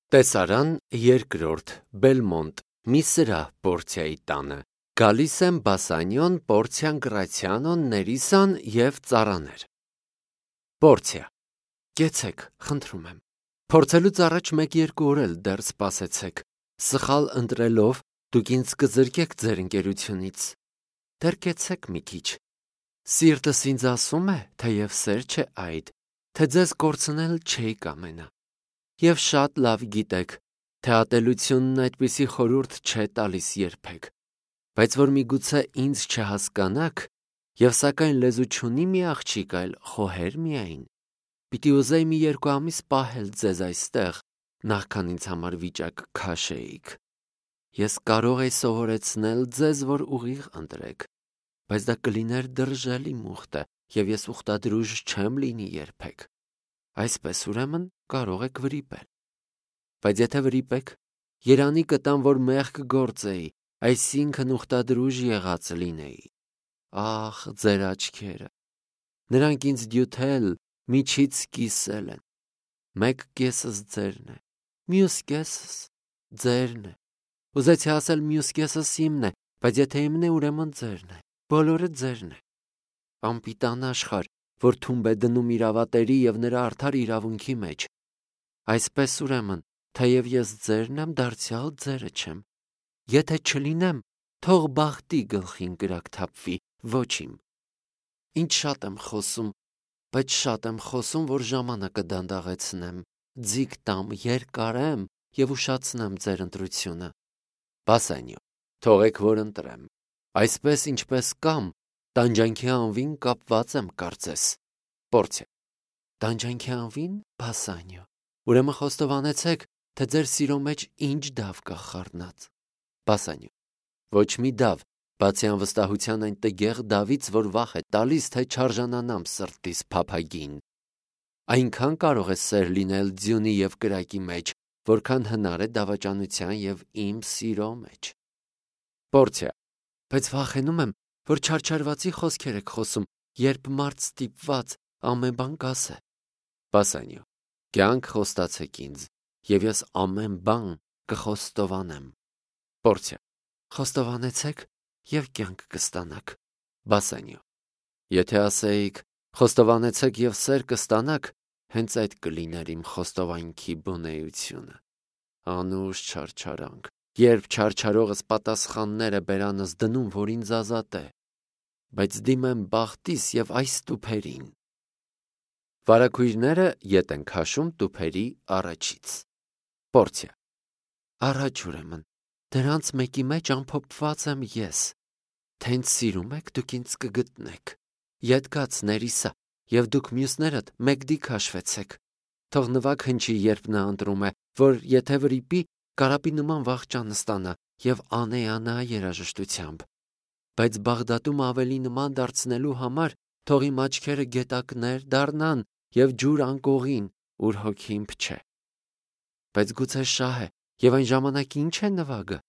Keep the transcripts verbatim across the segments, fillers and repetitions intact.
Տեսարան երկրորդ Բելմոնտ մի սրահ Պորցիայի տանը։ Գալիս եմ Բասանյոն, Պորցիան, Գրացիանոն, Ներիսան և ծառաներ։ Պորցիա, կեցեք, խնդրում եմ։ Փորձելուց առաջ մեկ-երկու օր էլ դեռ սպասեցեք։ Սխալ ընտրելով դուք ինձ կզրկեք ձեր ընկերությունից։ Դեռ կեցեք մի քիչ։ Սիրտս ինձ ասում է, թեև սեր չէ այդ, թե ձեզ կորցնել չէի կամենա։ Եվ շատ լավ գիտեք, թե ատելությունն այդպիսի խորհուրդ չէ տալիս երբեք, բայց որ միգուցե ինձ չհասկանաք, և սակայն լեզու չունի մի աղջիկ, այլ խոհեր միայն, պիտի ուզեի մի երկու ամիս պահել ձեզ այստեղ, նախքան ինձ համար վիճակ քաշեիք։ Ես կարող էի սովորեցնել ձեզ, որ ուղիղ ընտրեք, բայց դա կլիներ դրժելի մուխտը, և ես ուխտադրուժ չեմ լինի երբեք։ Այսպես ուրեմն կարող եք վրիպել։ Բայց եթե վրիպեք, երանի կտամ, որ մեղք գործեի, այսինքն ուխտադրուժ եղած լինեի։ Ախ, ձեր աչքերը։ Նրանք ինձ դյութել, միջից կիսել են։ Մեկ կեսս ձերն է, մյուս կեսս ձերն է։ Ուզեցի ասել մյուս կեսս իմն է, բայց եթե իմն է, ուրեմն ձերն է, բոլորը ձերն է։ Անպիտան աշխարհ, որ թումբ է դնում իր ավատերի և նրա արդար իրավունքի մեջ։ Այսպես ուրեմն, թեև ես ձերն եմ, դարձյալ ձերը չեմ։ Եթե չլինեմ, թող բախտի գլխին կրակ թափվի, ոչ իմ։ Ինչ շատ եմ խոսում, բայց շատ եմ խոսում, որ ժամանակը դանդաղեցնեմ, ձիգ տամ, երկարեմ և ուշացնեմ ձեր ընտրությունը։ Բասանյո, թողեք, որ ընտրեմ։ Այսպես ինչպես կամ, տանջանքի անվին կապված եմ կարծես։ Պորցիա, տանջանքի անվին, Բասանյո, ուրեմն խոստովանեցեք, թե ձեր սիրո մեջ ինչ դավ կա խառնած։ Բասանյո, ոչ մի դավ, բացի անվստահության այն տգեղ դավից, որ վախ է տալիս, թե չարժանանամ սրտիս փափագին։ Այնքան կարող է սեր լինել ձյունի և կրակի մեջ, որքան հնար է դավաճանության և իմ սիրո մեջ։ Պորցիա, բայց վախենում եմ, որ չարչարվածի խոսքեր եք խոսում, երբ մարդ ստիպված ամեն բան կասե։ Բասանյո, կյանք խոստացեք ինձ, և ես ամեն բան կխոստովանեմ։ Պորցիա, խոստովանեցեք և կյանք կստանաք։ Բասանյո, եթե ասեիք, խոստովանեցեք և սեր կստանաք, հենց այդ կլիներ իմ խոստովանքի բունեությունը։ Անուշ չարչարանք, երբ չարչարողս պատասխաններ է բերանս դնում, որ ինձ ազատե, բայց դիմեմ բախտիս և այս տուփերին։ Վարագույրները ետ են քաշում տուփերի առաջից։ Պորցիա, առաջ ուրեմն, դրանց մեկի մեջ ամփոփված եմ ես, թե ինձ սիրում եք, դուք ինձ կգտնեք, ետ գաց, Ներիսա, և դուք մյուսներդ մեկդի քաշվեցեք, թող նվագ հնչի, երբ նա ընտրում է, որ եթե վրիպի, կարապի նման վախճան ստանա և անեանա երաժշտությամբ, բայց Բաղդադում ավելի նման դարձնելու համար թող իմ աչքերը գետակներ դառնան և ջուր անկողին, ուր հոգին փչե։ Բայց գուցե շահ է, և այն ժամանակ ինչ է նվագը։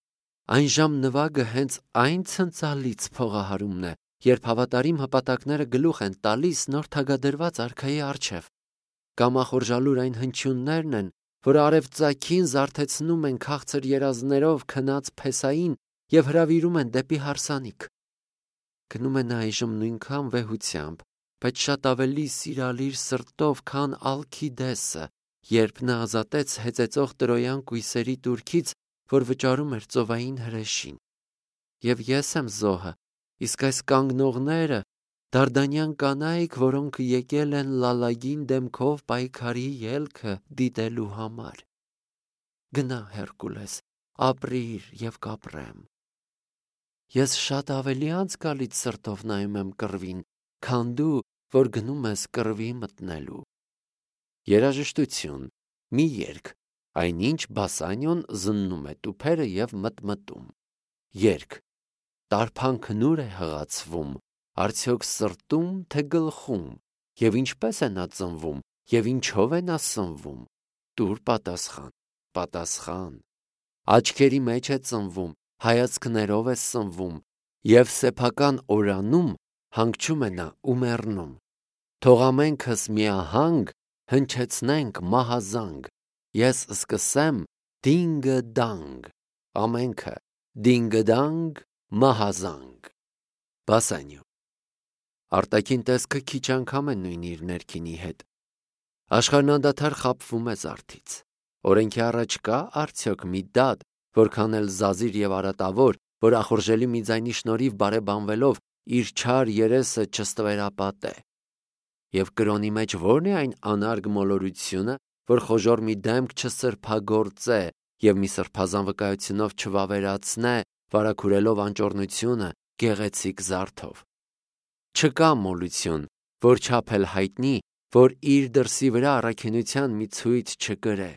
Այն ժամ նվագը հենց այն ցնցալից փողահարումն է, երբ հավատարիմ հպատակները գլուխ են տալիս նոր թագադրված արքայի առջև։ Կամախորժալուր այն հնչյուններն են, որ արևծագին զարթեցնում են քաղցր երազներով քնած փեսային և հրավիրում են դեպի հարսանիք։ Գնում է նա այժմ նույնքան վեհությամբ, բայց շատ ավելի սիրալիր սրտով, քան Ալքիդեսը, երբ նա ազատեց հեծեծող տրոյան կույսերի տուրքից, որ վճարում էր ծովային հրեշին։ Եվ ես եմ զոհը, իսկ այս կանգնողները դարդանյան կանայք, որոնք եկել են լալագին դեմքով պայքարի ելքը դիտելու համար։ Գնա, Հերկուլես, ապրիր և կապրեմ։ Ես շատ ավելի անցկալից սրտով նայում եմ կռվին, քան դու, որ գնում ես կռվի մտնելու։ Երաժշտություն, մի երգ, այնինչ Բասանյոն զննում է տուփերը և մտմտում։ Երգ, տարփանքն ուր է հղացվում, արդյոք սրտում, թե գլխում, և ինչպես է նա ծնվում, և ինչով է նա սնվում, տուր պատասխան, պատասխան։ Աչքերի մեջ է ծնվում, հայացքներով է սնվում, և սեփական օրանում հանգչում է նա ու մեռնում։ Թող ամենքս միահանգ հնչեցնենք մահազանգ, Ես սկսեմ դինգը-դանգ, ամենքը, դինգը-դանգ, մահազանգ։ Բասանյո։ Արտաքին տեսքը քիչ անգամ է նույն իր ներքինի հետ։ Աշխարհն անդադար խաբվում է զարդից։ Օրենքի առաջ կա արդյոք մի դատ, որքան էլ զազիր եւ արատավոր, որ ախորժելի մի ձայնի շնորհիվ բարեբանվելով իր չար երեսը չստվերապատե։ Եվ կրոնի մեջ ո՞րն է այն անարգ մոլորությունը, որ խոժոր մի դեմք չսրբագործե եւ մի սրբազան վկայությունով չվավերացնե, վարակուրելով անճոռնությունը գեղեցիկ զարդով։ Չկա մոլություն, որ չափել հայտնի, որ իր դրսի վրա առաքինության մի ցույց չկրե։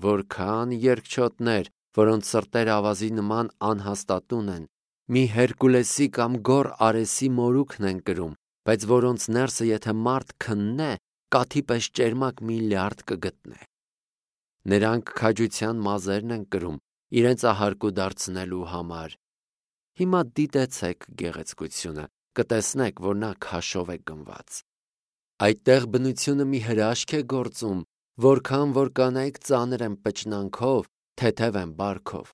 Որքան երկչոտներ, որոնց սրտերը ավազի նման անհաստատուն են, մի Հերկուլեսի կամ գոր Արեսի մորուքն են կրում, բայց որոնց ներսը եթե մարդ քննե, կաթի պես ճերմակ մի լյարդ կգտնե։ Նրանք քաջության մազերն են կրում իրենց ահարկու դարձնելու համար։ Հիմա դիտեցեք գեղեցկությունը, կտեսնեք, որ նա քաշով է գնված։ Այդտեղ բնությունը մի հրաշք է գործում, որքան որ կանայք ծանր են պճնանքով, թեթև են բարքով։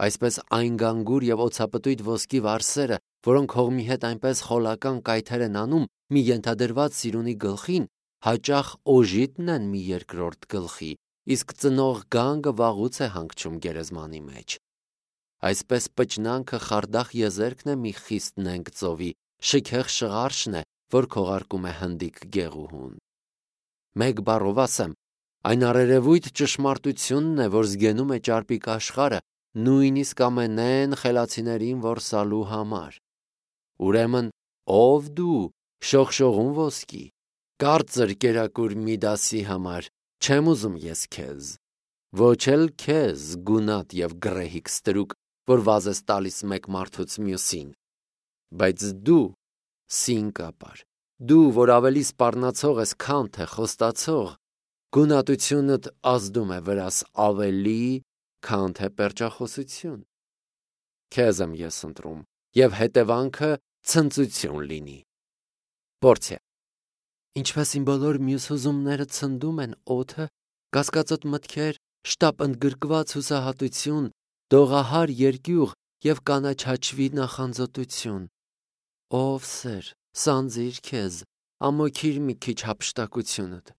Այսպես այն գանգուր եւ օծապտույտ ոսկի վարսերը, որոնք հողմի հետ այնպես խոլական կայթեր են անում մի ենթադրված սիրունի գլխին, հաճախ օժիտն են մի երկրորդ գլխի, իսկ ծնող գանգը վաղուց է հանգչում գերեզմանի մեջ։ Այսպես պճնանքը խարդախ եզերքն է մի խիստ նենգ ծովի, շքեղ շղարշն է, որ քողարկում է հնդիկ գեղուհուն։ Մեկ բառով ասեմ, այն առերևույթ ճշմարտությունն է, որ զգենում է ճարպիկ աշխարհը, նույնիսկ ամենեն խելացիներին որսալու համար։ Ուրեմն, ով դու, շողշողուն ոսկի, կարծր կերակուր Միդասի համար, չեմ ուզում ես քեզ, ոչ էլ քեզ գունատ եւ գրեհիկ ստրուկ, որ վազ ես տալիս մեկ մարդուց մյուսին, բայց դու, սինկապար, դու, որ ավելի սպառնացող ես, քան թե խոստացող, գունատությունդ ազդում է վրաս ավելի, քան թե պերճախոսություն։ Քեզ եմ ես ընտրում, եւ հետևանքը ցնծություն լինի։ Պորցիա։ Ինչպես իմ բոլոր մյուս հուզումները ցնդում են օդը, կասկածոտ մտքեր, շտապ ընդգրկված հուսահատություն, դողահար երկյուղ եւ կանաչաչվի նախանձոտություն։ Ով սեր, սանձիր քեզ, ամոքիր մի քիչ հափշտակությունդ,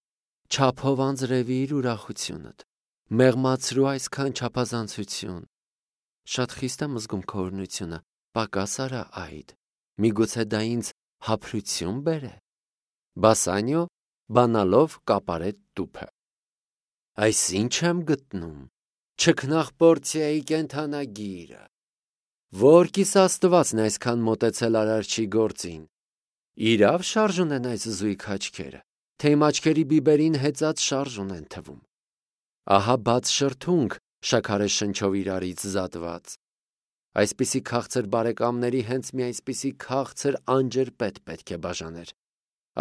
չափով անձրևիր ուրախությունդ, մեղմացրու այսքան չափազանցություն։ Շատ խիստ եմ զգում քո օրհնությունը, պակաս արա այդ, միգուցե դա ինձ հափրություն բերե։ Բասանյո, բանալով կապարետ տուփը։ Այս ինչ եմ գտնում, չքնաղ Պորցիայի կենթանագիրը։ Որ կիս Աստվածն այսքան մոտեցել արարչի գործին։ Իրավ շարժ ունեն այս զույգ աչքերը, թե իմ աչքերի բիբերին հեծած շարժ ունեն թվում։ Ահա բաց շրթունք, շաքարե շնչով իրարից զատված։ Այսպիսի քաղցր բարեկամների հենց մի այսպիսի քաղցր անջրպետ պետք է բաժաներ։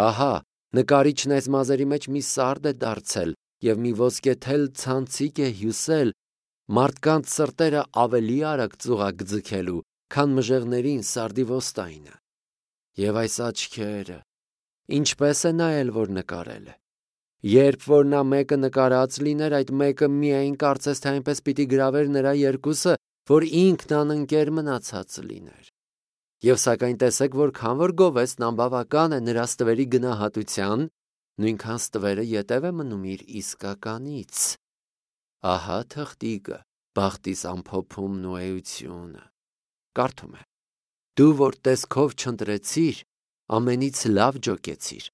Ահա, նկարիչն այս մազերի մեջ մի սարդ է դարձել եւ մի ոսկեթել ցանցիկ է հյուսել մարդկանց սրտերը ավելի արագ ծուղակ ձգելու, քան մժեղներին սարդի ոստայինը։ Եվ այս աչքերը, ինչպես է նայել, որ նկարել է։ Երբ որ նա մեկը նկարած լիներ, այդ մեկը միայն կարծես թե այնպես պիտի գրավեր նրա երկուսը, որ ինքն անընկեր մնացած լիներ։ Եվ սակայն տեսեք, որքան որ գովեստն անբավական է նրա ստվերի գնահատության, նույնքան ստվերը ետև է մնում իր իսկականից։ Ահա թղթիկը, բախտիս ամփոփումն ու էությունը։ Կարդում է. Դու որ տեսքով չընտրեցիր, ամենից լավ ջոկեցիր,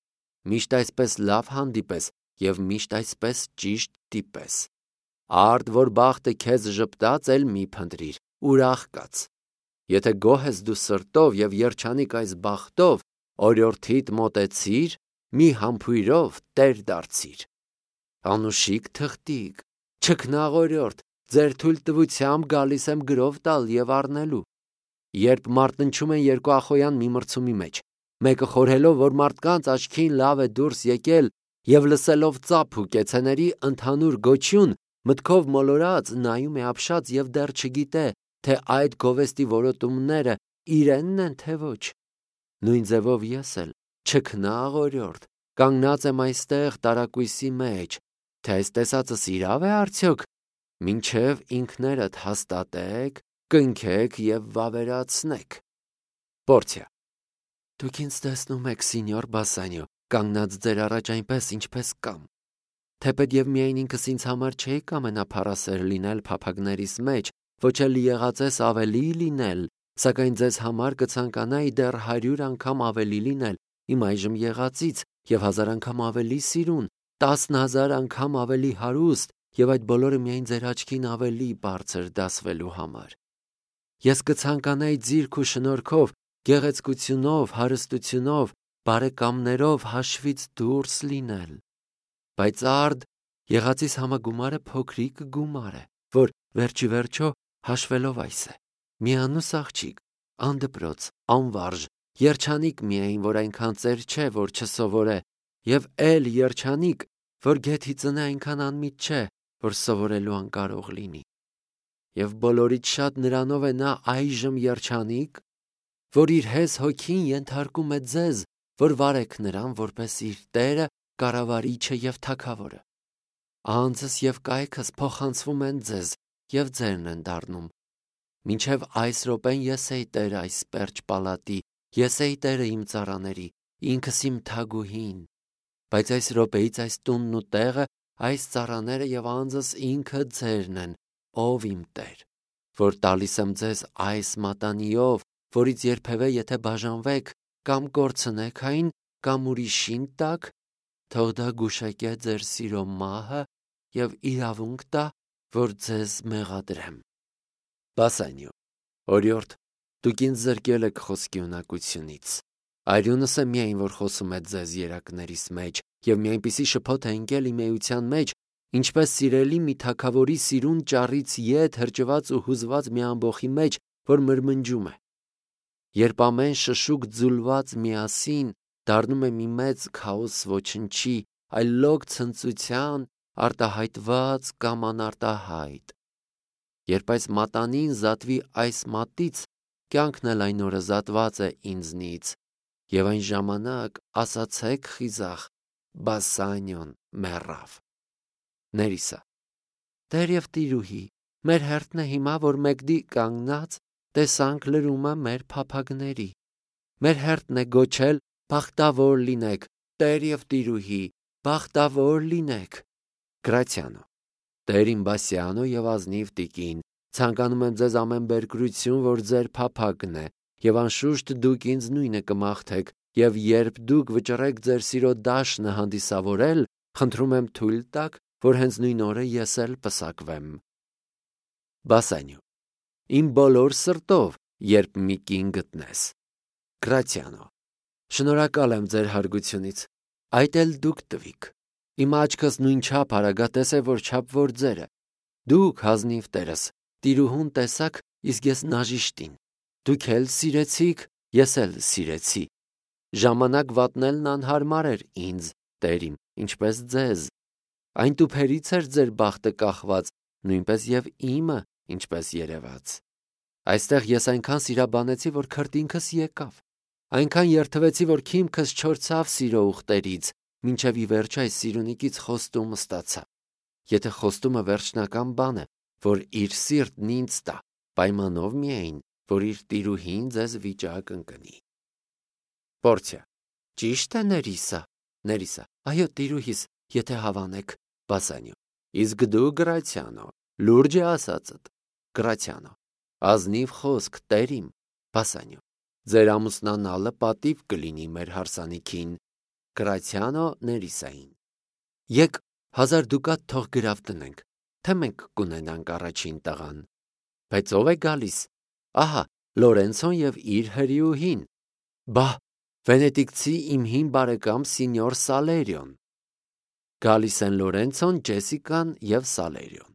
միշտ այսպես լավ հանդիպես եւ միշտ այսպես ճիշտ տիպես։ Արդ որ բախտը քեզ ժպտաց, էլ մի փնտրիր, ուրախ կաց։ Եթե գոհ ես դու սրտով եւ երջանիկ այս բախտով, օրիորդիդ մոտեցիր, մի համբույրով տեր դարձիր։ Անուշիկ թղթիկ, չքնաղ օրիորդ, ձեր թույլ տվությամբ գալիս եմ գրով տալ եւ առնելու։ Երբ մարտնչում են երկու ախոյան մի մրցումի մեջ, մեկը խորհելով, որ մարդկանց աչքին լավ է դուրս եկել եւ լսելով ծափ ու կեցեների ընդհանուր գոչյուն, մտքով մոլորած նայում է ապշած եւ դեռ չգիտե, թե այդ գովեստի որոտումները իրենն են թե ոչ։ Նույն ձևով ես էլ, չքնաղ օրիորդ, կանգնած եմ այստեղ տարակույսի մեջ, թե այս տեսածս իրավ է արդյոք, մինչև ինքներդ հաստատեք, կնքեք և վավերացնեք։ Պորցիա. Դուք ինձ տեսնում եք, սինյոր Բասանյո, կանգնած ձեր առաջ այնպես, ինչպես կամ։ Թեպետ և միայն ինքս ինձ համար չէի կամենա փառասեր լինել փափագներիս մեջ, ոչ էլ եղածես ավելի լինել, սակայն ձեզ համար կցանկանայի դեռ հարյուր անգամ ավելի լինել, իմ այժմ եղածից, և հազար անգամ ավելի սիրուն, տասնհազար անգամ ավելի հարուստ, և այդ բոլորը միայն ձեր աչքին ավելի բարձր դասվելու համար։ Ես կցանկանայի ձիրք ու շնորհքով, գեղեցկությունով, հարստությունով, բարեկամներով հաշվից դուրս լինել։ Բայց արդ եղածիս համագումարը փոքրիկ գումար է, որ վերջի վերջո հաշվելով այս է. միանուս աղջիկ, անդպրոց, անվարժ, երջանիկ միայն, որ այնքան ծեր չէ, որ չսովորե, և էլ երջանիկ, որ գեթի ծնե այնքան անմիտ չէ, որ սովորելու անկարող լինի։ Եվ բոլորից շատ նրանով է նա այժմ երջանիկ, որ իր հես հոգին ենթարկում է ձեզ, որ վարեք նրան որպես իր Տերը, կառավարիչը և թագավորը։ Անձս և կայքս փոխանցվում են ձեզ, և ձերն են դառնում։ Մինչև այս րոպեն ես էի Տերը այս պերճ պալատի, ես էի Տերը իմ ծառաների, ինքս իմ թագուհին։ Բայց այս րոպեից այս տունն ու տեղը, այս ծառաները և անձս ինքը ձերն են, ով իմ Տեր, որ տալիս եմ ձեզ այս մատանիով, որից երբևէ եթե բաժանվեք կամ կորցնեք այն, կամ ուրիշին տաք, թող դա գուշակե ձեր սիրո մահը և իրավունք տա, որ ձեզ մեղադրեմ։ Բասանյո. Օրիորդ, դուք ինձ զրկել եք խոսքի ունակությունից։ Արյունս է միայն, որ խոսում է ձեզ երակներիս մեջ, և մի այնպիսի շփոթ է ընկել իմ էության մեջ, ինչպես սիրելի մի թագավորի սիրուն ճառից ետ հրճված ու հուզված մի ամբոխի մեջ, որ մրմնջում է։ Երբ ամեն շշուկ ձուլված միասին դառնում է մի մեծ քաոս ոչնչի, այլոք ցնծության, արտահայտված կամ անարտահայտ։ Երբ այս մատանին զատվի այս մատից, կյանքն էլ այն օրը զատված է ինձնից, և այն ժամանակ ասացեք խիզախ, Բասանյոն մեռավ։ Ներիսա. Տեր և տիրուհի, մեր հերթն է հիմա, որ մեկդի կանգնած տեսանք լրումը մեր փափագների։ Մեր հերթն է գոչել բախտավոր լինեք, Տեր և տիրուհի, բախտավոր լինեք։ Գրացիանո. Տեր իմ Բասյանո և ազնիվ տիկին, ցանկանում եմ ձեզ ամեն բերկրություն, որ ձեր փափագն է, և անշուշտ դուք ինձ նույնը կմաղթեք, և երբ դուք վճռեք ձեր սիրո դաշնը հանդիսավորել, խնդրում եմ թույլ տաք, որ հենց նույն օրը ես էլ պսակվեմ։ Բասանյո. Իմ բոլոր սրտով, երբ մի կին գտնես։ Գրացիանո. Շնորհակալ եմ ձեր հարգությունից, այդ էլ դուք տվիք։ Իմ աչքս նույնչափ արագատես է, որչափ որ ձերը։ Դուք հազնիվ տերս, տիրուհուն տեսաք, իսկ ես նաժիշտին։ Դուք էլ սիրեցիք, ես էլ սիրեցի։ Ժամանակ վատնելն անհարմար էր ինձ, Տեր իմ, ինչպես ձեզ։ Այն տուփերից էր ձեր բախտը կախված, նույնպես և իմը, ինչպես երևաց։ Այստեղ ես այնքան սիրաբանեցի, որ քրտինքս եկավ։ Այնքան երդվեցի, որ քիմքս չորցավ սիրո ուղտերից, մինչև ի վերջ այս սիրունիկից խոստումը ստացա։ Եթե խոստումը վերջնական բան է, որ իր սիրտն ինձ տա, պայմանով միայն, որ իր տիրուհին ձեզ վիճակ ընկնի։ Պորցիա. Ճիշտ է, Ներիսա։ Ներիսա. Այո, տիրուհիս, եթե հավանեք։ Բասանյո. Իսկ դու, Գրացիանո, լուրջ է ասածդ։ Գրացիանո. Ազնիվ խոսք, Տեր իմ։ Բասանյո. Ձեր ամուսնանալը պատիվ կլինի մեր հարսանիքին։ Գրացիանո Ներիսային. Եկ հազար դուկատ թող գրավ տնենք, թե մենք կունենանք առաջին տղան։ Բայց ով է գալիս։ Ահա, Լորենցոն և իր հրիուհին։ Բահ, վենետիկցի իմ հին բարեկամ սինյոր Սալերիոն։ Գալիս են Լորենցոն, Ջեսիկան և Սալերիոն։